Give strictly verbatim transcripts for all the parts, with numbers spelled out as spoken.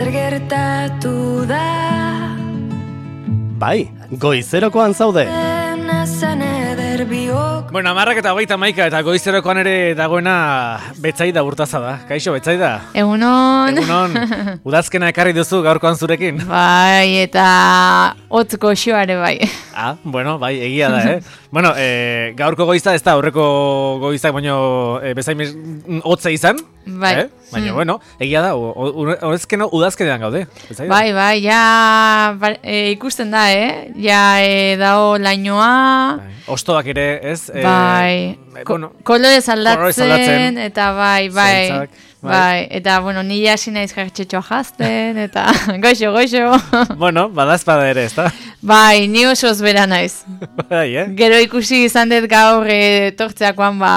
zer gertatu da. Bai, goizerokoan zaude. Bueno, amarrak eta hogeita maika eta goizerokoan ere dagoena Betsaida Urtaza da. Kaixo, Betsaida? Egunon. Egunon. Udazkena ekarri duzu gaurkoan zurekin. Bai, eta hotz goxoare bai. Ah, bueno, bai, egia da, eh? Bueno, eh, gaurko goiza ez da aurreko goizak baino eh, bezain hotza izan. Bai. Eh? Baina, mm. bueno, egia da, horrezkeno udazkenean gaude. Betsaida? Bai, bai, ja ba, e, ikusten da, eh? Ja e, dao lainoa. Bai. Ostoak ere, ez? Eh, bai, Ko, bueno, kolorez aldatzen, aldatzen, eta bai, bai, Zaitzak, bai. bai, eta bueno, ni hasi naiz jartxetxoa jazten, eta goixo, goixo. Bueno, badazpada ere, ez da? Bai, ni oso ozbera naiz. Bai, eh? Gero ikusi izan dut gaur e, tortzeakoan ba,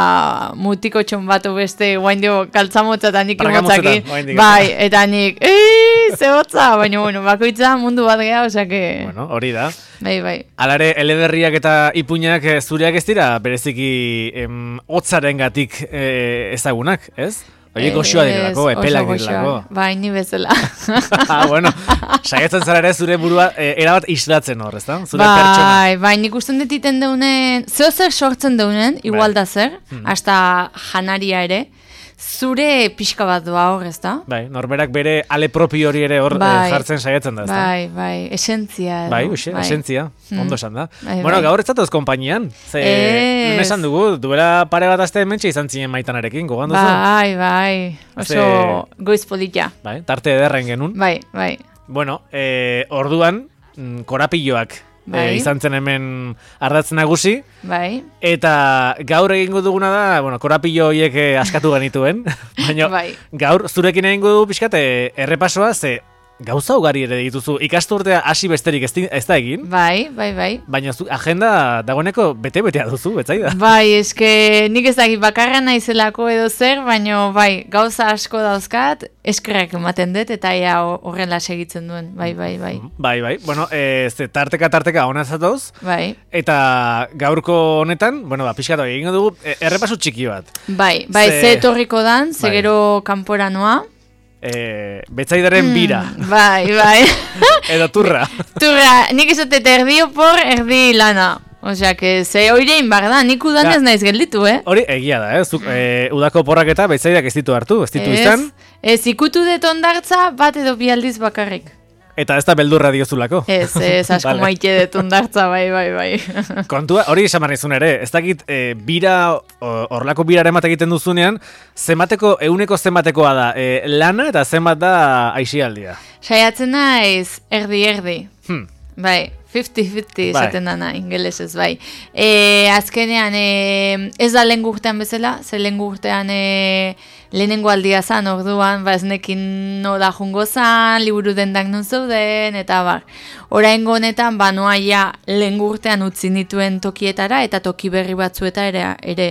mutiko txon batu beste guain dio kaltzamotza eta nik emotzaki. Bai, eta nik, eee, ze hotza, baina bueno, bakoitza mundu bat geha, osake. Bueno, hori da. Bai, bai. Alare, eleberriak eta ipuinak zureak ez dira, bereziki em, hotzaren gatik e, ezagunak, ez? Oie goxoa direlako, epelak direlako. Bai, ni bezala. Ah, bueno, saietzen zara ere zure burua e, erabat islatzen hor, ez da? Zure bai, pertsona. Bai, bai, nik usten dititen deunen, zeo zer sortzen deunen, igual da zer, hmm. hasta janaria ere, zure pixka bat doa hor, ez da? Bai, norberak bere ale propio hori ere hor bai, jartzen saiatzen da, ez da? Bai, bai, esentzia. Edo, bai, uxe, bai. esentzia, hmm. ondo esan da. Bai, bueno, bai. gaur ez zatoz konpainian, ze, nuen esan dugu, duela pare bat azte hementxe izan zinen maitanarekin, gogan duzu? Bai, bai, oso Aze... goiz polita. Bai, tarte ederren genuen. Bai, bai. Bueno, eh, orduan, korapilloak, bai. E, izan zen hemen ardatz nagusi. Bai. Eta gaur egingo duguna da, bueno, korapillo horiek askatu genituen. Baina bai. gaur zurekin egingo dugu pixkat errepasoa, ze gauza ugari ere dituzu. Ikasturtea hasi besterik ez, ez da egin. Bai, bai, bai. Baina zu, agenda dagoeneko bete-betea duzu, Betsaida. Bai, eske nik ez dakit bakarra naizelako edo zer, baina bai, gauza asko dauzkat, eskerrak ematen dut, eta ea horrela segitzen duen. Bai, bai, bai. Bai, bai. Bueno, ez tarteka-tarteka hona zatoz. Bai. Eta gaurko honetan, bueno, ba, pixkatu egingo dugu, errepasu txiki bat. Bai, bai, ze, ze etorriko dan, ze gero kanpora noa. Eh, Betsaidaren bira. Mm, bai, bai. Edo turra. Turra, nik esatet erdi opor, erdi lana. Osea, que ze oirein bar da, nik udan ez naiz gelditu, eh? Hori egia da, eh? Zuk, eh, udako porrak eta Betsaidak ez ditu hartu, ez ditu izan. Ez, ikutu dut ondartza bat edo bi aldiz bakarrik. Eta ez da beldurra diozulako. Ez, ez, asko vale. Maite dut ondartza, bai, bai, bai. Kontua, hori esan barnizun ere, ez dakit e, bira, horlako birare ematek egiten duzunean, zenbateko, euneko zenbatekoa da e, lana eta zenbat da aixialdia. Saiatzen naiz, erdi-erdi. Hmm. Bai, fifty fifty esaten dana, ingelesez, bai. E, azkenean, e, ez da lehen gurtean bezala, ze lehen gurtean e, lehenengo aldia zan, orduan, ba ez nekin nola jungo zan, liburu dendak nun zeuden, eta bar. Oraingo honetan, ba noa ja lehen gurtean utzi nituen tokietara, eta toki berri batzueta ere. ere.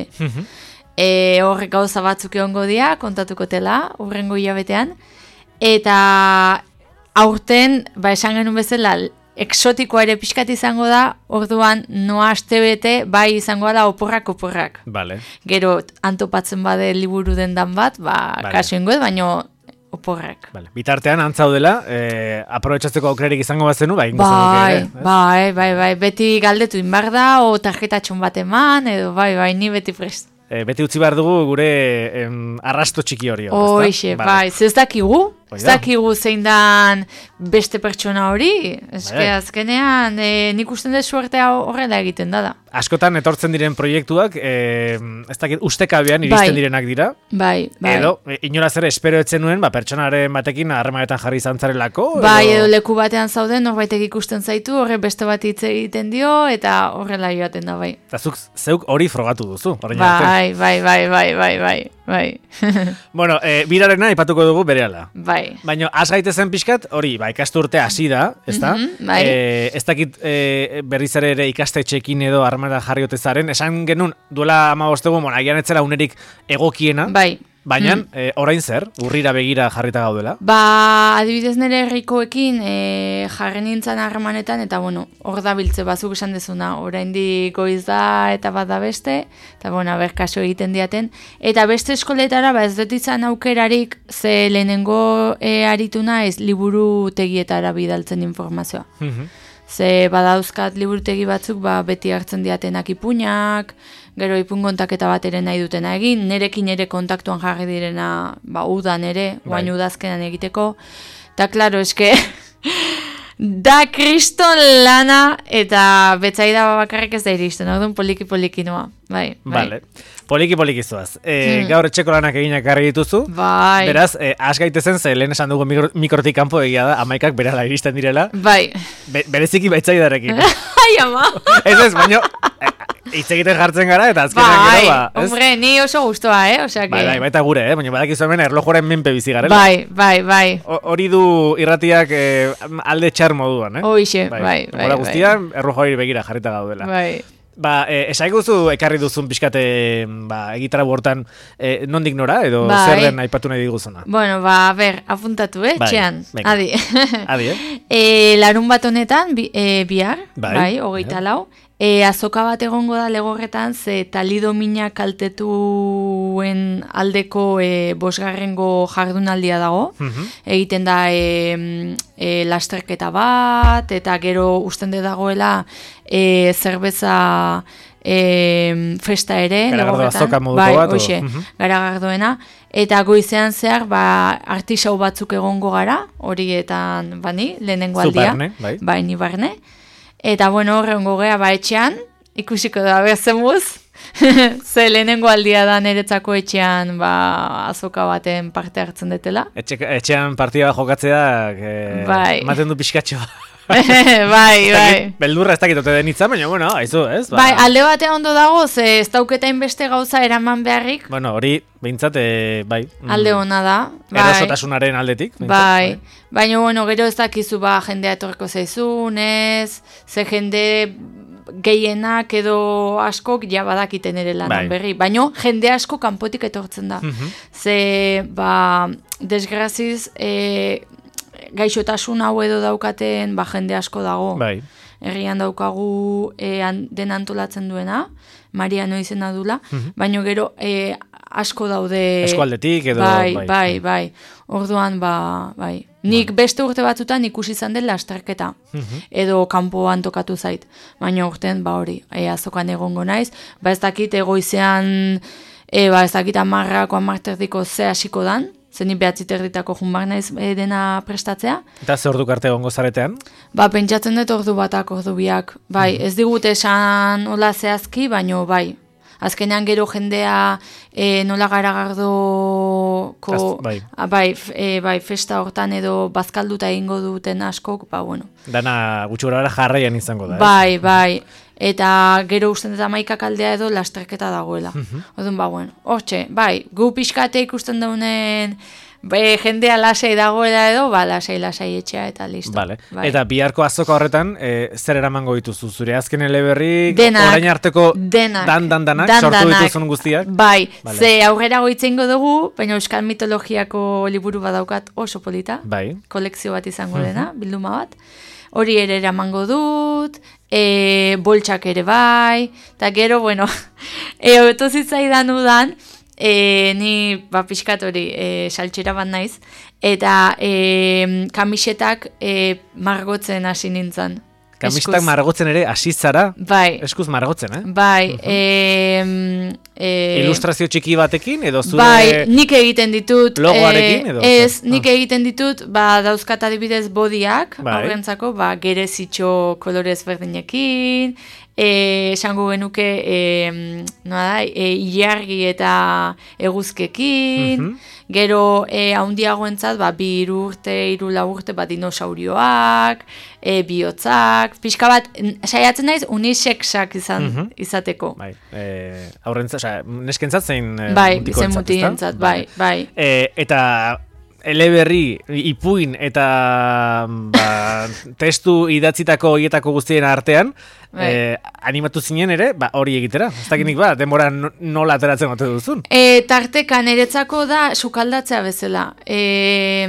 e, horrek gauza batzuk egongo dira, kontatuko tela, urrengo hilabetean. Eta aurten, ba esan genuen bezala, exotikoa ere pixkat izango da, orduan noa astebete bai izango da oporrak oporrak. Vale. Gero antopatzen bade liburu dendan bat, ba vale. Kaso ingoet, baino oporrak. Vale. Bitartean antzaudela, eh, aprobetxatzeko aukerarik izango bat zenu, bai, ingo bai, zenuke, eh? bai, bai, bai, beti galdetu inbar da, o tarjetatxon bat eman, edo bai, bai, ni beti prest. E, beti utzi behar dugu gure em, arrasto txiki hori. Hoixe, bai, ez dakigu, ez dakigu zein dan beste pertsona hori, eske azkenean e, nik usten dut suertea horrela egiten da da. Askotan etortzen diren proiektuak, e, ez dakit ustekabean iristen bai. direnak dira. Bai, bai. Edo, e, inoraz ere espero etzen nuen, ba, pertsonaren batekin harremanetan jarri zantzarelako. Bai, edo... edo leku batean zauden, norbaitek ikusten zaitu, horre beste bat hitz egiten dio, eta horrela joaten da, bai. Eta zuk zeuk hori frogatu duzu. Bai, bai, bai, bai, bai, bai, bai. Bueno, e, birarena ipatuko dugu berehala. Bai. Baina, az gaitezen pixkat, hori, ba, ikasturte hasi da, ez da? Mm-hmm, bai. E, ez dakit e, berriz ere ere ikastetxekin edo harremanetan jarri otezaren, esan genuen duela ama bostegun, bueno, agian etzela unerik egokiena. Bai. Baina, hmm. e, orain zer, urrira begira jarrita gaudela? Ba, adibidez nire herrikoekin e, jarri nintzen harremanetan, eta bueno, hor da biltze bazuk esan dezuna, oraindik goiz da eta bat da beste, eta bueno, berkaso egiten diaten, eta beste eskoletara, ba ez dut izan aukerarik, ze lehenengo e, aritu naiz liburu tegietara bidaltzen informazioa. Mm-hmm. Ze badauzkat liburutegi batzuk ba, beti hartzen diatenak ipuinak, gero ipun kontaketa bat ere nahi dutena egin, nerekin ere kontaktuan jarri direna ba, udan ere, guain udazkenan egiteko. Eta, klaro, eske, da kriston lana eta betzaida bakarrik ez da iristen, orduan poliki-poliki noa. Bai, bai. Vale. Poliki-poliki zoaz. E, hmm. Gaur etxeko lanak eginak garri dituzu. Bai. Beraz, e, has gaitezen, ze lehen esan dugu mikro, mikrotik kanpo egia da, amaikak berala iristen direla. Bai. Be, bereziki baitzaidarekin. Ai, ama. Ez ez, baino, hitz egiten jartzen gara, eta azkenean bai, gero, ba. Ez? Hombre, ni oso gustoa, eh? Osea, que... Bai, bai, baita gure, eh? Baina badakizu hemen erlojuaren menpe bizi garela. Bai, bai, bai. Hori du irratiak eh, alde txar moduan, eh? Hoixe, bai, bai. bai, bai guztian, bai. Erlojuari begira jarrita gaudela. Bai. Ba, eh, esaiguzu ekarri duzun pixkate ba, egitara bortan eh, nondik nora, edo bai. zer den aipatu nahi diguzuna? Bueno, ba, ber, apuntatu, eh, bai. txean, Venga. adi. Adi, eh? E, larun bat honetan, bi, e, bihar, bai, bai hogeita lau, e, azoka bat egongo da legorretan, ze talido mina kaltetuen aldeko e, bosgarrengo jardunaldia dago, uh-huh. egiten da e, e, lasterketa bat, eta gero usten de dagoela e, zerbeza e, festa ere, Garagardo azoka moduko bai, bat, oixe, uh-huh. garagardoena, eta goizean zehar, ba, artisau batzuk egongo gara, horietan, bani, lehenengo aldia, Zubarne, bai. bai, ni barne, eta bueno, horrengo gea, ba, etxean, ikusiko da bezemuz, ze lehenengo aldia da niretzako etxean, ba, azoka baten parte hartzen detela. Etxe, etxean partida jokatzeak, eh, bai. maten du pixkatxo. bai, bai. Beldurra ez dakitote den itza, baina, bueno, haizu, ez? Ba. Bai, alde batean ondo dago, ze ez dauketain beste gauza eraman beharrik. Bueno, hori, behintzat, eh, bai. Alde ona da. Bai. Erasotasunaren aldetik. Behintzat, bai. bai. Baina, bueno, gero ez dakizu, ba, jendea etorriko zaizun, ez, ze jende gehienak edo askok ja badakiten ere lanan bai. berri. Baina, jende asko kanpotik etortzen da. Uh-huh. Ze, ba, desgraziz, e, gaixotasun hau edo daukaten ba, jende asko dago. Bai. Herrian daukagu e, an, den antolatzen duena, Mariano izena dula, uh-huh. baina gero e, asko daude... Eskualdetik edo... Bai, bai, bai. bai. Orduan, ba, bai. Nik bai. beste urte batzutan ikusi izan den lasterketa, uh-huh. edo kanpoan tokatu zait. Baina urten, ba hori, e, azokan egongo naiz, ba ez dakit egoizean, e, ba ez dakit amarrako amarterdiko ze hasiko dan, zen behatzi terditako junbar naiz e, dena prestatzea. Eta ze orduk arte egongo zaretean? Ba, pentsatzen dut ordu batak, ordu biak. Bai, mm. ez digute esan hola zehazki, baino bai. Azkenean gero jendea e, nola garagardoko Az, bai. A, bai, f, e, bai, festa hortan edo bazkalduta egingo duten askok, ba, bueno. Dana gutxura jarraian izango da. Bai, ez? bai. Eta gero usten dut amaikak aldea edo lasterketa dagoela. Uh-huh. Odun, ba, bueno, hortxe, bai, gu pixkate ikusten daunen... Be, jendea lasai dagoela edo, ba, lasai, lasai etxea eta listo. Vale. Bai. Eta biharko azoka horretan, e, zer eramango dituzu? Zure azken eleberrik, denak, orain arteko denak, dan, dan, danak, dan, sortu danak. dituzun guztiak? Bai, vale. Ze aurrera goitzeingo dugu, baina euskal mitologiako liburu badaukat oso polita. Bai. Kolekzio bat izango dena, bilduma bat. Hori ere eramango dut, e, boltsak ere bai, eta gero, bueno, e, hobeto zitzaidan udan, E, ni ba, pixkat hori e, saltxera bat naiz, eta e, kamisetak e, margotzen hasi nintzen. Kamisetak margotzen ere hasi zara? Bai. Eskuz margotzen, eh? Bai. Uh-huh. e, e, Ilustrazio txiki batekin, edo zure... Bai, nik egiten ditut... Logoarekin, edo? Ez, nik ah. egiten ditut, ba, dauzkat adibidez bodiak, bai. aurrentzako, ba, gerezitxo kolorez berdinekin, esango genuke e, noa da, e, ilargi eta eguzkekin, uh-huh. gero e, haundiagoentzat ba, bi hiru urte, hiru lau urte ba, dinosaurioak, e, bihotzak, pixka bat, saiatzen naiz unisexak izan, uh-huh. izateko. Bai, e, aurrentzat, oza, neskentzat zein e, bai, mutiko entzat, mutientzat, bai, bai. E, eta... eleberri, ipuin eta ba, testu idatzitako hietako guztien artean, eh, animatu zinen ere, ba, hori egitera. Ez dakinik ba, denbora nola ateratzen ote duzun. E, tarteka niretzako da sukaldatzea bezala. E,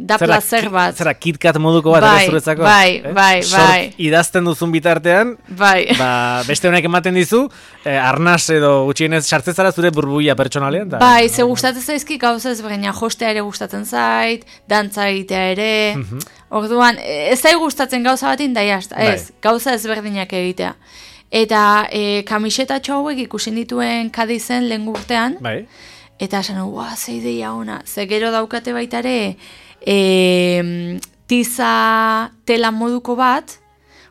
da zera, placer bat. Zera, KitKat moduko bat bai, ere zuretzako? Bai, eh? bai, bai. Sort idazten duzun bitartean, bai. ba, beste honek ematen dizu, eh, arnaz edo gutxienez sartzezara zure burbuia pertsonalean. Da, bai, ze gustatzen zaizki gauza ezberdina, jostea ere gustatzen zait, dantza egitea ere, Mhm. orduan, ez zai gustatzen gauza batin da jazta, ez, Bai. gauza ezberdinak egitea. Eta e, kamisetatxo hauek ikusi dituen Kadizen lehen urtean, Bai. eta esan, ua, ze ideia ona, ze gero daukate baita ere, e, tiza tela moduko bat,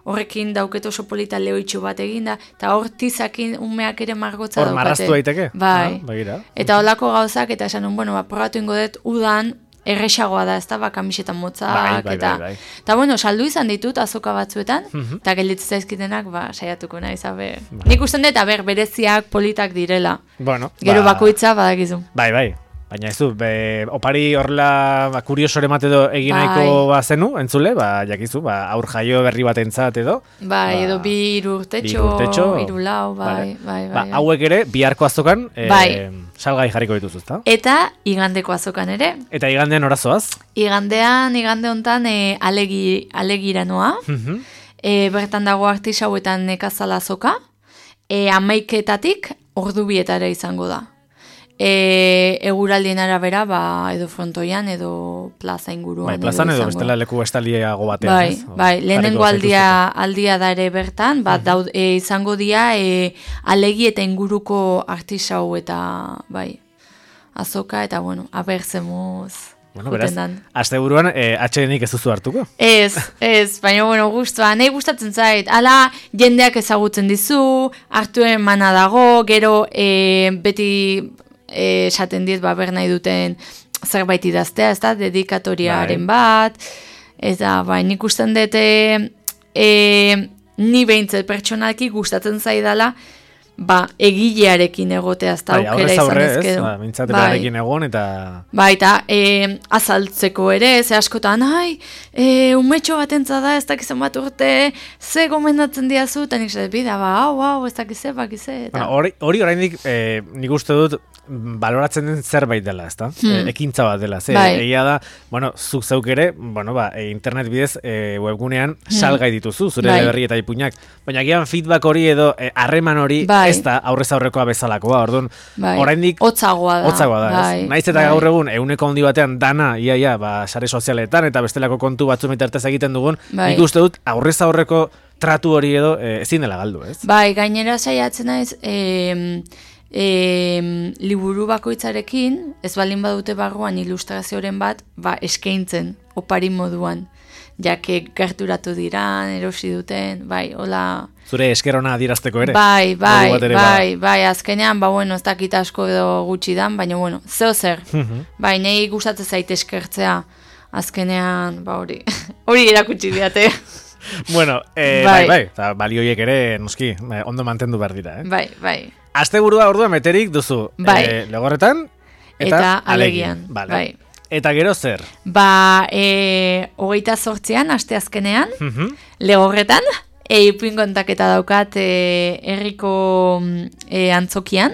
horrekin dauket oso polita lehoitxo bat eginda, eta hor tizakin umeak ere margotza Hor daukate. marraztu daiteke? Bai. Ah, begira. Eta holako gauzak, eta esan, bueno, ba, probatu ingo dut, udan, erresagoa da, ez da, ba, kamiseta motzak, Bai, bai, eta, bai, bai. eta, bueno, saldu izan ditut azoka batzuetan, Mhm. eta gelditzen zaizkitenak, ba, saiatuko naiz, aber. Nik usten dut, aber, bereziak politak direla. Bueno, Gero ba, bakoitza badakizu. Bai, bai. Baina ez du, be, opari horrela ba, kuriosore mate edo egin nahiko Bai. ba zenu, entzule, ba, jakizu, ba, aur jaio berri bat entzat edo. Bai, ba, edo bi hiru urtetxo, bi urtetxo, hiru lau, bai, vale. bai, bai. Ba, bai. hauek ere, biharko azokan, eh, Bai. salgai jarriko dituzu, ezta? Eta igandeko azokan ere. Eta igandean orazoaz? Igandean, igande hontan e, alegi, alegira noa. Mhm. E, bertan dago artisauetan nekazala azoka. E, amaiketatik ordu bietara izango da. E, eguraldien arabera, ba, edo frontoian, edo plaza inguruan. Bai, plazan edo izango bestela da. leku estaliago batean, Bai, ez? O, bai, lehenengo jarriko aldia, zaituztete. aldia da ere bertan, bat daud, e, izango dia e, alegi eta inguruko artisau eta, bai, azoka eta, bueno, aberzemuz. Bueno, beraz, asteburuan eh, atsedenik ez duzu hartuko. Ez, ez, baina, bueno, guztua, nahi gustatzen zait, ala, jendeak ezagutzen dizu, hartu emana dago, gero e, beti e, esaten diet, ba, ber nahi duten zerbait idaztea, ez da, dedikatoriaren bat, eta, bai, nik usten dute, e, ni behintzat pertsonalki gustatzen zaidala, ba, egilearekin egotea, ez da, Bai, aukera aurrez izan aurre, ez? ezkero. Ba, mintzate berarekin egon eta... Ba, eta e, azaltzeko ere, ze askotan, ai, e, umetxo batentza da, ez dakizen bat urte, ze gomendatzen diazu, eta nik zait, bida, ba, hau, hau, ez dakize, bakize, eta... Bueno, hori, hori oraindik eh, nik uste dut baloratzen den zerbait dela, ezta? Hmm. E, ekintza bat dela, ze Bai. egia da, bueno, zuk zeuk ere, bueno, ba, e, internet bidez e, webgunean salgai dituzu, zure Bai. berri eta ipuinak, baina gian feedback hori edo eh, harreman hori Bai. ez da aurrez aurrekoa bezalakoa, orduan, Bai. oraindik Hotzagoa da. hotzagoa da, bai, ez? Naiz eta bai. gaur egun euneko handi batean dana, ia, ia, ba, sare sozialetan eta bestelako kontu batzu bitartez egiten dugun, Bai. nik uste dut aurrez aurreko tratu hori edo eh, ezin dela galdu, ez? Bai, gainera saiatzen naiz, e, e, liburu bakoitzarekin, ez baldin badute barruan ilustrazioren bat, ba, eskaintzen, opari moduan. Jake gerturatu diran, erosi duten, bai, hola... Zure eskerona adierazteko ere? Bai, bai, Modu bat ere bai, bai, azkenean, ba, bueno, ez dakit asko edo gutxi dan, baina, bueno, zeo zer. Mhm. Bai, nahi gustatzen zait eskertzea, azkenean, ba, hori, hori erakutsi diate. Bueno, eh, Bai. bai, bai, eta balioiek ere, noski, eh, ondo mantendu behar dira, eh? Bai, bai, Asteburua orduan meterik duzu, Bai. eh, legorretan, eta, eta alegian. alegian, Vale. bai. Eta gero zer? Ba, e, hogeita zortzian, aste azkenean, Mhm. lehorretan, e, ipuin kontaketa daukat e, herriko e, antzokian,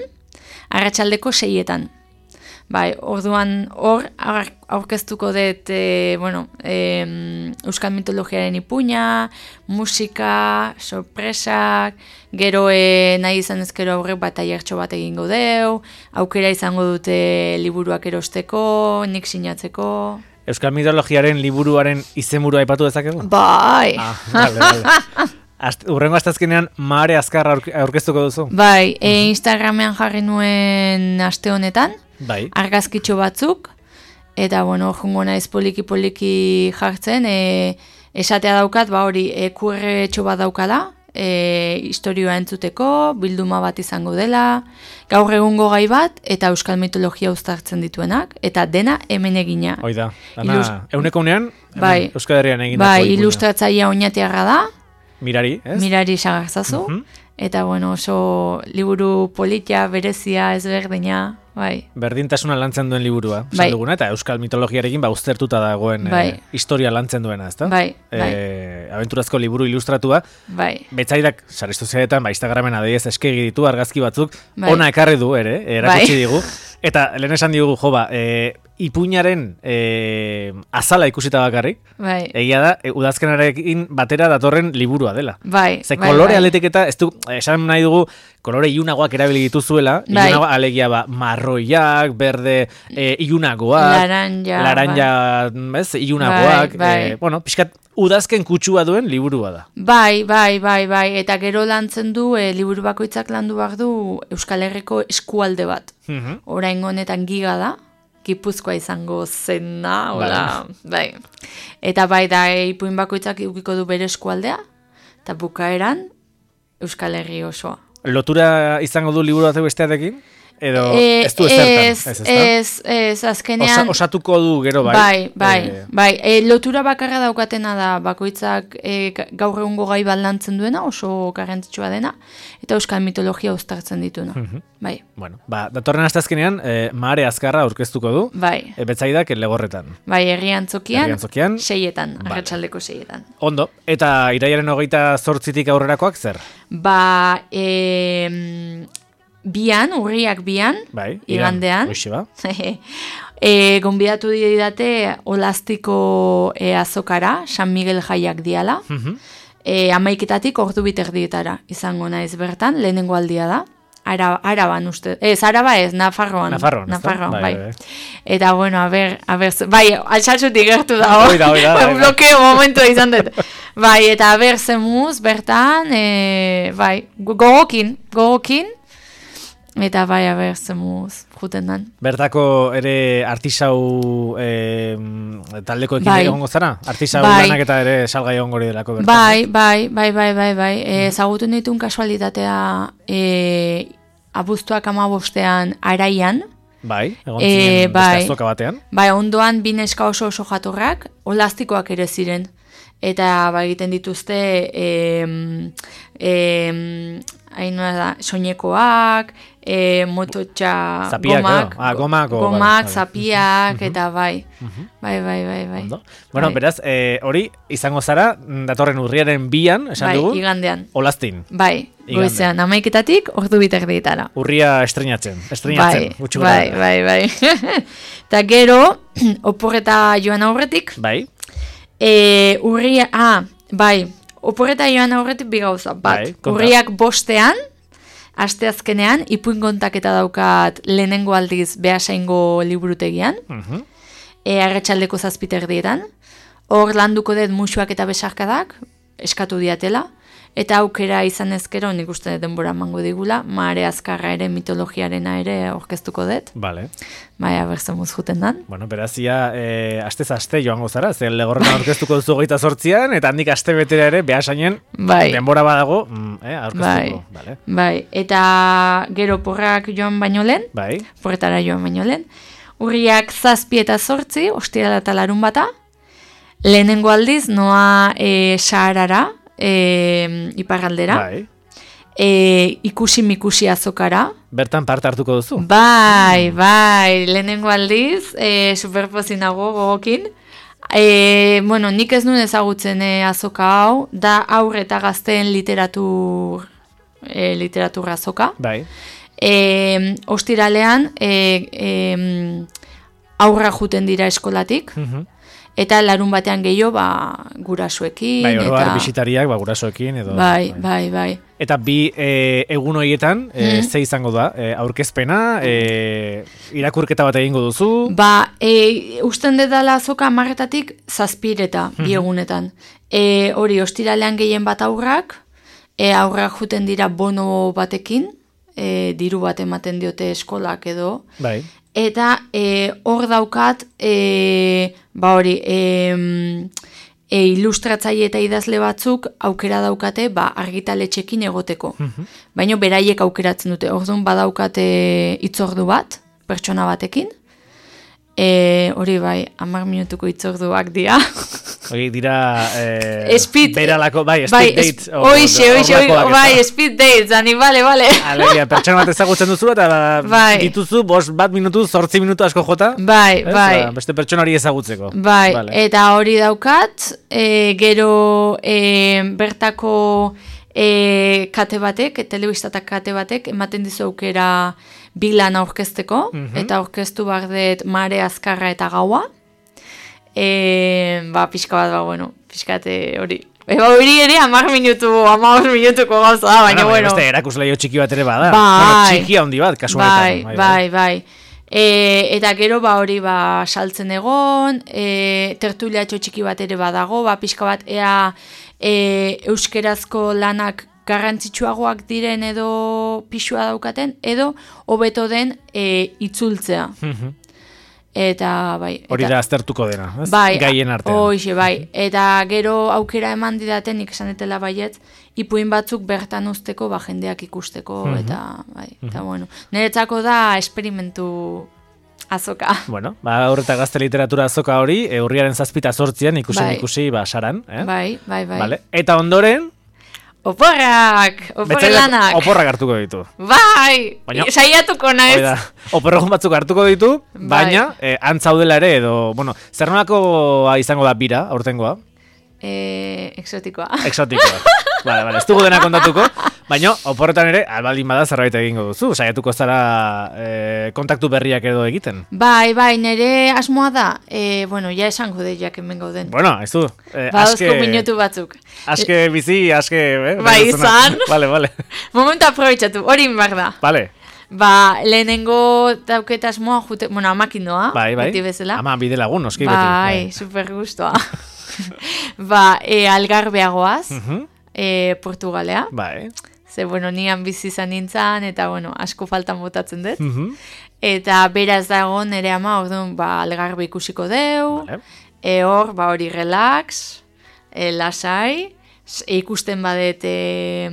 arratsaldeko seietan. Bai, orduan hor aur- aurkeztuko dut, e, bueno, e, euskal mitologiaren ipuina, musika, sorpresak, gero e, nahi izan ezkero aurrek bat aiertxo bat egingo deu, aukera izango dute liburuak erosteko, nik sinatzeko. Euskal mitologiaren liburuaren izenburua aipatu dezakegu? Bai, Ah, vale, vale. Ast, urrengo astazkenean Mare Azkarra aurke- aurkeztuko duzu? bai, e, Instagramean jarri nuen aste honetan, Bai. argazkitxo batzuk, eta, bueno, jungo naiz poliki-poliki jartzen, e, esatea daukat, ba hori, e, kurretxo bat daukala, e, historioa entzuteko, bilduma bat izango dela, gaur egungo gai bat, eta euskal mitologia uztartzen dituenak, eta dena hemen egina. Hoi da, dana, Ilus- euneko unean, hemen Bai. Euskal Herrian egin Bai, ilustratzailea oinatiarra da, Mirari, ez? Mirari Sagarzazu. Mhm. Eta, bueno, oso liburu politia, berezia, ezberdina, bai. Berdintasuna lantzen duen liburua, esan Bai. duguna, eta euskal mitologiarekin ba uztertuta dagoen Bai. eh, historia lantzen duena, ezta? Bai, bai. Eh, abenturazko liburu ilustratua, Bai, betzaidak, sare sozialetan, ba, Instagramen adibidez eskegi ditu argazki batzuk, Bai. ona ekarri du ere, erakutsi Bai. digu. Eta lehen esan digu, jo ba, e, ipuinaren e, azala ikusita bakarrik, bai, egia da, e, udazkenarekin batera datorren liburua dela. bai. Ze bai, kolore bai. aldetik eta, ez du, esan nahi dugu, kolore ilunagoak erabili dituzuela, Bai. ilunagoak alegia ba, marroiak, berde, e, ilunagoak, Laranja, laranja, ez, ilunagoak, Bai, bai. e, bueno, pixkat, udazken kutsua duen liburua da. Bai, bai, bai, bai, eta gero lantzen du, e, liburu bakoitzak landu behar du Euskal Herriko eskualde bat. Mhm. Orain honetan giga da, Gipuzkoa izango zena, hola, bai. Eta bai, da, e, ipuin bakoitzak edukiko du bere eskualdea, eta bukaeran Euskal Herri osoa. Lotura izango du liburu batek bestearekin? Edo Eh, ez du ezertan? ez, Ez, ezta? ez, ez, azkenean... Osa, osatuko du gero bai? Bai, bai, Eh, bai. E, lotura bakarra daukatena da bakoitzak e, ga- gaur egungo gai bat lantzen duena, oso garrantzitsua dena, eta euskal mitologia uztartzen dituna. Mhm. Bai, Bueno, ba, datorren asteazkenean, eh, Mare Azkarra aurkeztuko du, bai, e, betzaidak legorretan. bai, herriantzokian, Herriantzokian, seietan, Vale. arratsaldeko seietan. Ondo, eta iraiaren hogeita zortzitik aurrerakoak zer? Ba, e, bian, urriak bian, Bai, igandean, Hoxe ba. e, gonbidatu didate olastiko e, azokara, San Miguel jaiak diala, Mhm. e, amaiketatik ordu biterdietara izango naiz bertan, lehenengo aldia da. Ara, araban uste, ez, araba ez, Nafarroan. Nafarroan, ezta? Nafarroan, Bai, bai. bai, bai. Eta, bueno, a ber, a ber, bai, altxatxutik gertu da, hor. Hoi da, hoi da, bai, bai. Blokeo momentu izan dut. Bai, eta a ber, zemuz, bertan, e, bai, gogokin, gogokin, eta bai, a ber, zemuz, juten dan. Bertako ere artisau eh, taldeko ekin Bai. egongo zara? Artisau Bai. lanak eta ere salgai egongo delako bertan. Bai, bai, bai, bai, bai, bai. E, ezagutu nituen kasualitatea e, abuztuak amabostean araian. Bai, egon Eh, zinen bai. beste azoka batean. Bai, ondoan bi neska oso oso jatorrak, olastikoak ere ziren. Eta ba, egiten dituzte em, em, hain da, soinekoak, e, mototxa, Zapiak, gomak, edo? Ah, gomak, o, gomak, vale, vale. zapiak, eta bai. Bai, bai, bai, bai. Ondo. Bueno, Bai. beraz, eh, hori izango zara, mm, datorren urriaren bian, esan Bai, dugu, igandean. Olastin. Bai, Igandean. goizean, amaiketatik ordu biterdietara. Urria estreinatzen, estreinatzen. Bai, gutxi bai, gora. bai, bai. Eta gero, oporreta joan aurretik, Bai, e, urria, ah, bai, oporreta joan aurretik bi gauza, bat, Bai, konta. urriak bostean, asteazkenean, ipuin kontaketa daukat lehenengo aldiz Beasaingo liburutegian, mhm. e, arratsaldeko zazpiterdietan, hor landuko dut musuak eta besarkadak, eskatu diatela, eta aukera izan ezkero nik uste dut denbora emango digula, Mare Azkarra ere mitologiarena ere orkestuko dut, Vale. bai, abertzemuz juten dan. Bueno, berazia, eh, astez aste joango zara, zen legorretan aurkeztuko duzu hogeita zortzian, eta handik aste betera ere, Beasainen, Bai. denbora badago, mm, eh, aurkeztuko. Bai. Vale. Bai, eta gero porrak joan baino lehen, Bai, porretara joan baino lehen, urriak zazpi eta zortzi, ostirala eta larun bata, lehenengo aldiz, noa e, Saharara, e, iparraldera, bai. e, ikusi mikusi azokara, Bertan parte hartuko duzu. bai, bai, lehenengo aldiz, e, superpozinago gogokin, e, bueno, nik ez nuen ezagutzen e, azoka hau, da aurre eta gazteen literatur, e, literatur azoka, Bai, e, ostiralean e, e, aurra juten dira eskolatik, mhm. eta larun batean gehiago ba, gurasoekin. Bai, oroar eta... bisitariak, ba, gurasoekin edo. Bai, bai, bai. Eta bi e, egun horietan, e, Mhm. ze izango da, e, aurkezpena, e, irakurketa bat egingo duzu. Ba, e, usten dedala azoka amarretatik zazpireta bi egunetan. E, hori, ostiralean gehien bat aurrak, e, aurrak juten dira bono batekin, e, diru bat ematen diote eskolak edo, Bai, eta e, hor daukat, e, ba hori, e, e, ilustratzaile eta idazle batzuk aukera daukate ba, argitaletxekin egoteko. Baina beraiek aukeratzen dute. Orduan badaukate hitzordu bat, pertsona batekin. E, hori bai, hamar minutuko hitzorduak dira. Horiek dira eh, speed, beralako, bai, speed bai, dates. Oixe, oixe, bai, speed dates, ani, bale, bale. Alegia, pertsona bat ezagutzen duzu eta bai. dituzu, bost bat minutu, zortzi minutu asko jota. Bai, ez? bai. Ba, beste pertsona hori ezagutzeko. Bai, vale. Eta hori daukat, e, gero e, bertako e, kate batek, telebistatak kate batek, ematen dizu aukera bi lan aurkezteko, mm-hmm. eta aurkeztu behar dut Mare Azkarra eta Gaua. E, ba, pixka bat, ba, bueno, pixkate hori. Eba hori ere, amar minutu, amar minutuko gauza da, baina, bueno. bueno. Beste erakusleio txiki bat ere bada. Bai. Bueno, txiki handi bat, kasu bai, honetan. Bai, bai, bai. E, eta gero, ba, hori, ba, saltzen egon, e, tertuliatxo txiki bat ere badago, ba, pixka bat, ea e, euskerazko lanak garrantzitsuagoak diren edo pixua daukaten, edo hobeto den e, itzultzea. Eta, bai... Hori da aztertuko dena, ez? Bai, gaien artean. Hoxe, bai. Eta gero aukera eman didaten, nik esan etela baiet, ipuin batzuk bertan usteko, ba, jendeak ikusteko, Mhm. eta, bai, eta, bueno. Niretzako da esperimentu azoka. Bueno, ba, horreta gazte literatura azoka hori, e, urriaren zazpita sortzian, ikusi Bai. ikusi, ba, saran, eh? Bai, bai, bai. Vale. Eta ondoren... Oporrak! Oporre Betzaiak lanak! Oporrak hartuko ditu. Bai! Baina- Saiatuko naiz! Hoi da, oporregun batzuk hartuko ditu, Bai. baina eh, antzaudela ere edo, bueno, zer nolakoa izango da bira, aurtengoa? Eh, exotikoa. Exotikoa. Vale, vale, ez dugu dena kontatuko, baina oporretan ere, albaldin bada zerbait egingo duzu, saiatuko zara eh, kontaktu berriak edo egiten. Bai, bai, nire asmoa da, eh, bueno, ja esango de jak hemen gauden. Bueno, ez du, eh, Badozko aske, minutu batzuk. aske bizi, aske... Eh, Bai, pertsona. izan. Vale, vale, Momentu aprobetxatu, hori inbar da. vale. Ba, lehenengo dauketa asmoa jute, bueno, amakinoa, Bai, bai. beti bezala. Ama bide lagun, oski Bai, beti. super gustoa. Ba, e, algarbeagoaz, Mhm. e, Portugalea. Bai. Ze, bueno, nian bizi izan nintzen, eta, bueno, asko faltan botatzen dut. Mhm. Eta beraz dago nire ama, orduan, ba, algarbe ikusiko deu, Vale. e, hor, ba, hori relax, e, lasai, s- e, ikusten badet e,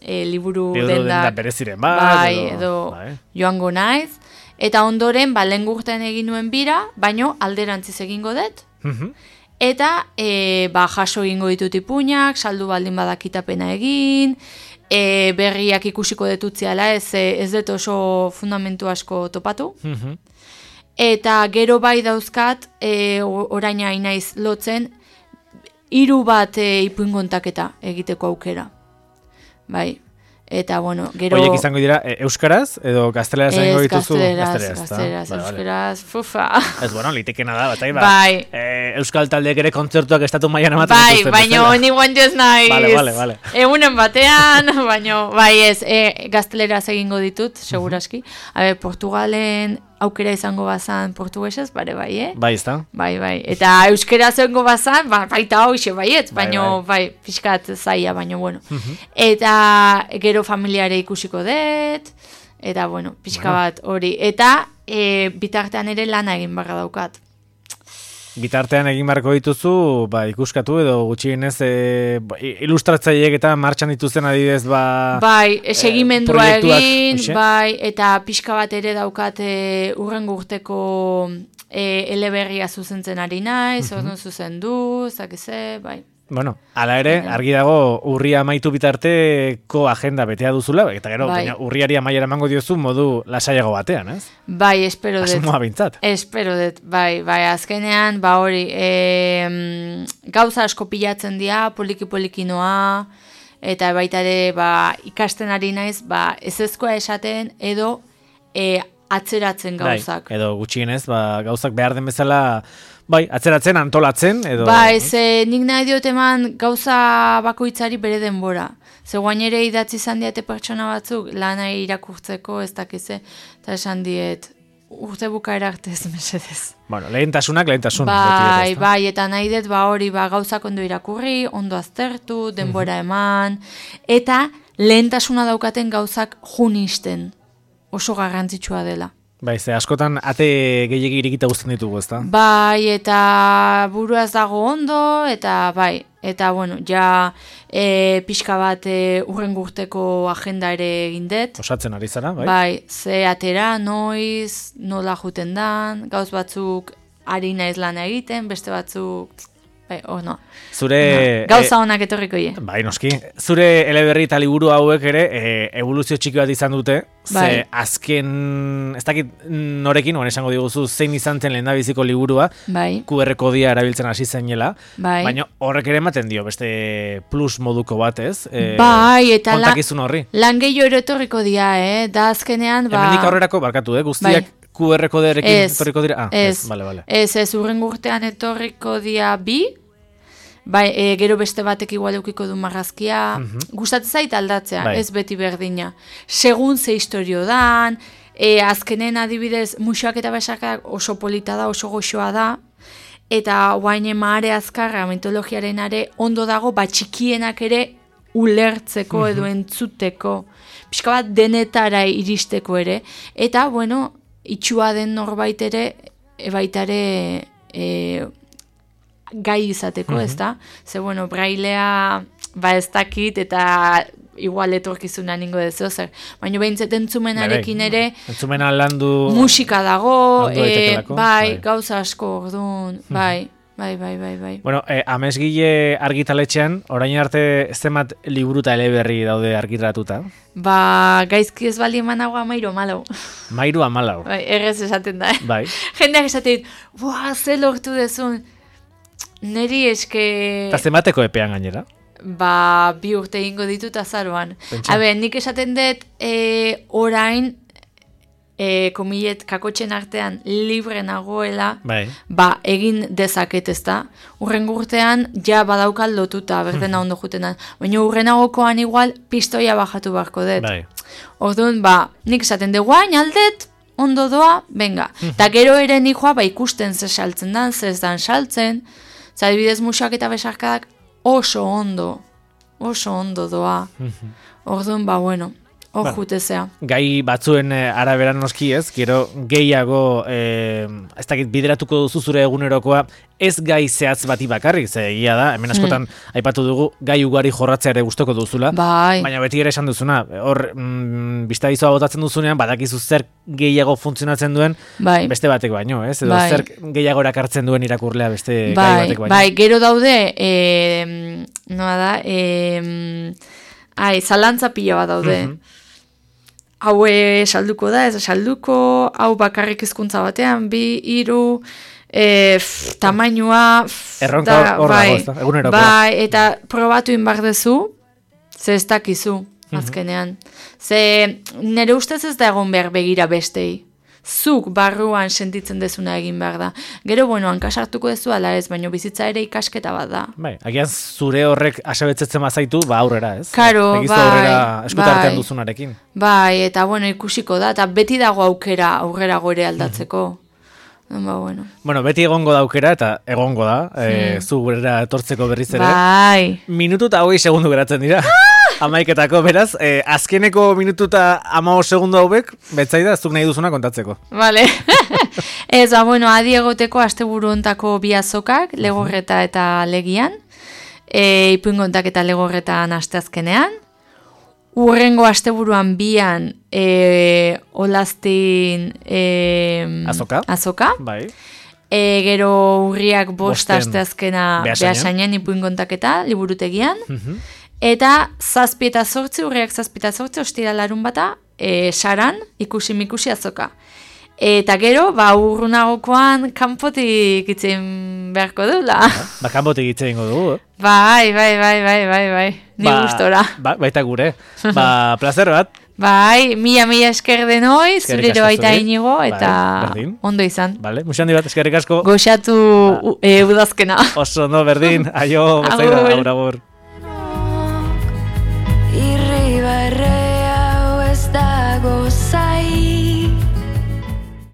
e, liburu Liburu denda dendak, bereziren bat, bai, edo- edo bai. joango naiz, eta ondoren, ba, lehen gurten egin nuen bira, baino alderantziz egingo dut, Mhm. eta e, ba, jaso egingo ditut ipuinak, saldu baldin badakitapena egin, e, berriak ikusiko detutziala, ez, e, ez dut oso fundamentu asko topatu. Mhm. Eta gero bai dauzkat, e, o- orain hain naiz lotzen, hiru bat e, ipuin kontaketa egiteko aukera. Bai. Eta, bueno, gero... Horiek izango dira e, euskaraz edo gazteleraz Ez, egingo dituzu? gazteleraz, ezta? gazteleraz, Vale, vale. euskaraz, fufa. Ez, bueno, litekena da, batai, ba. Bai. Eh, euskal taldeek ere kontzertuak estatu mailan ematen Bai, dituzten baino bezala. ni guan joz naiz. Vale, vale, vale. Egunen batean, baino, bai ez, e, gazteleraz egingo ditut, seguraski. A ber, Portugalen aukera izango bazan portuguesez, bare bai, eh? Bai, ezta? Bai, bai. Eta euskera zengo bazan, ba, baita hoxe baiet, Bai, baino, bai, pixkat zaia, baino, bueno. Eta gero familiare ikusiko dut, eta, bueno, pixka Bueno. bat hori. Eta e, bitartean ere lana egin barra daukat. Bitartean egin beharko dituzu, ba, ikuskatu edo gutxienez e, ba, ilustratzaileek eta martxan dituzten adidez, ba... Bai, e, segimendua proiektuak, egin, hoxe? bai, eta pixka bat ere daukat e, urrengo urteko e, eleberria zuzentzen ari naiz, orduan zuzendu, zakize, bai. Bueno, ala ere, argi dago urria amaitu bitarteko agenda betea duzula, eta gero, Bai. baina urriari amaiera emango diozu modu lasaiago batean, ez? Bai, espero dut. Asmoa bintzat. Espero dut, bai, bai, azkenean, ba hori, e, gauza asko pilatzen dira, poliki-poliki noa, eta baita ere, ba, ikasten ari naiz, ba, ezezkoa esaten, edo e, atzeratzen gauzak. Bai, edo gutxienez, ba, gauzak behar den bezala, bai, atzeratzen, antolatzen, edo... Bai, ze nik nahi diot eman gauza bakoitzari bere denbora. Ze guain ere idatzi izan diate pertsona batzuk, lana irakurtzeko, ez dakize, eta esan diet, urte bukaera arte ez mesedez. Bueno, lehentasunak lehentasun. beti Bai, ere, ezta? bai, eta nahi dut, ba hori, ba, gauzak ondo irakurri, ondo aztertu, denbora eman, eta lehentasuna daukaten gauzak junisten, oso garrantzitsua dela. Bai, ze askotan ate gehiegi irikita guztien ditugu, ezta? Bai, eta buruaz dago ondo, eta bai, eta bueno, ja e, pixka bat e, urrengo urteko agenda ere egin dut. Osatzen ari zara, bai? Bai, ze atera, noiz, nola juten dan, gauz batzuk ari naiz lan egiten, beste batzuk bai, hor no. Zure... No. Gauza honak etorriko ie. Bai, noski. Zure eleberri eta liburu hauek ere e, evoluzio txiki bat izan dute, bai. Ze azken, ez dakit norekin, oan esango diguzu, zein izan zen lehendabiziko liburua, bai. Q R kodia erabiltzen hasi zenela, bai. Baina horrek ere ematen dio, beste plus moduko bat, ez? E, bai, eta kontakizun horri. Lan gehiago etorriko dia, eh? Da azkenean, ba... Hemendik aurrerako, barkatu, eh? Guztiak bai. Q R kodearekin etorriko dira? Ah, ez, ez, bale, bale. Ez, ez, urren urtean etorriko dia bi, bai, e, gero beste batek igual eukiko du marrazkia, mm-hmm. Gustatzen zait aldatzea, bai. Ez beti berdina. Segun ze historio dan, e, azkenen adibidez, musuak eta besakak oso polita da, oso goxoa da, eta guain emare azkarra, mitologiaren are, ondo dago, bat txikienak ere ulertzeko mm-hmm. edo entzuteko, pixka bat denetara iristeko ere, eta, bueno, itxua den norbait ere, baitare e, gai izateko, mm-hmm. ez da? Ze, bueno, brailea, ba ez dakit, eta igual etorkizuna ningo dezo zer. Baina behintzet entzumenarekin ere, entzumena landu... musika dago, e, bai, bai, gauza asko, orduan, bai. Bai, bai, bai, bai. Bueno, eh, Amesgile argitaletxean, orain arte zenbat liburu eta eleberri daude argitaratuta? Ba, gaizki ez bali eman hau amairu amalau. Mairu amalau. Bai, errez esaten da. Eh? Bai. Jendeak esaten, buah, ze lortu dezun. Neri eske... Eta zenbateko epean gainera? Ba, bi urte ingo ditut azaroan. Habe, nik esaten dut, e, orain... E, komillet kakotxen artean libre nagoela, bai. Ba, egin dezaket ez da. Urren urtean, ja badaukal lotuta, berdena ondo jutenan. Baina urrenagokoan igual, pistoia bajatu barko dut. Bai. Orduan, ba, nik esaten de guain aldet, ondo doa, venga. Ta gero ere nikoa, ba, ikusten ze saltzen dan, ze ez dan saltzen. Zadibidez musak eta besarkadak oso ondo, oso ondo doa. Orduan, ba, bueno... Oh, bueno, gai batzuen araberan noski ez, gero gehiago eh, ez dakit bideratuko duzu zure egunerokoa ez gai zehatz bati bakarrik, ze egia da, hemen askotan hmm. aipatu dugu gai ugari jorratzea ere gustoko duzula, bai. Baina beti ere esan duzuna, hor mm, biztaizoa botatzen duzunean, badakizu zer gehiago funtzionatzen duen bai. Beste batek baino, ez? Edo bai. Zer gehiago erakartzen duen irakurlea beste bai. Gai batek baino. Bai, gero daude, e, noa da, e, ai, zalantza pila bat daude, mm-hmm. Hau salduko da, ez salduko, hau bakarrik hizkuntza batean, bi, hiru, e, f, tamainua... F, erronka hor dago, ez da, eguneroko. Bai, eta probatu inbar dezu, ze ez dakizu, azkenean. Ze nire ustez ez da egon behar begira bestei. Zuk barruan sentitzen dezuna egin behar da. Gero, bueno, hankasartuko dezu ala ez, baina bizitza ere ikasketa bat da. Bai, agian zure horrek asabetzetzen bazaitu, ba aurrera, ez? Karo, Egizu bai, aurrera eskutartean bai, duzunarekin. Bai, eta bueno, ikusiko da, eta beti dago aukera aurrera gore aldatzeko. Mm. Ba, bueno. Bueno, beti egongo da aukera, eta egongo da, mm. e, zu gurera etortzeko berriz ere. Bai. Minutu eta hogei segundu geratzen dira. Amaiketako, beraz, eh, azkeneko minututa amao segundu hauek, betzaida, zuk nahi duzuna kontatzeko. Vale. Ez, ba, bueno, adi egoteko asteburu hontako bi azokak, legorreta eta legian, e, ipuingontak eta legorretan asteazkenean, urrengo asteburuan bian e, olaztin e, azoka. azoka. Bai. E, gero urriak bost asteazkena behasainen ipuingontak eta liburutegian, uh-huh. Eta zazpi eta zortzi, urriak zazpi eta zortzi, ostira larun bata, e, saran, ikusi mikusi azoka. Eta gero, ba, urrunagokoan kanpotik itzen beharko dula. Ba, kanpotik itzen ingo dugu, eh? Bai, bai, bai, bai, bai, bai, ni ba, gustora. Ba, baita gure, ba, placer bat. Bai, mila, mila esker denoi, zurero baita inigo, eta bai, ondo izan. Vale, muxan dibat, eskerrik asko. Goxatu ba. e, udazkena. Oso, no, berdin, aio, bezaida, agur, agur.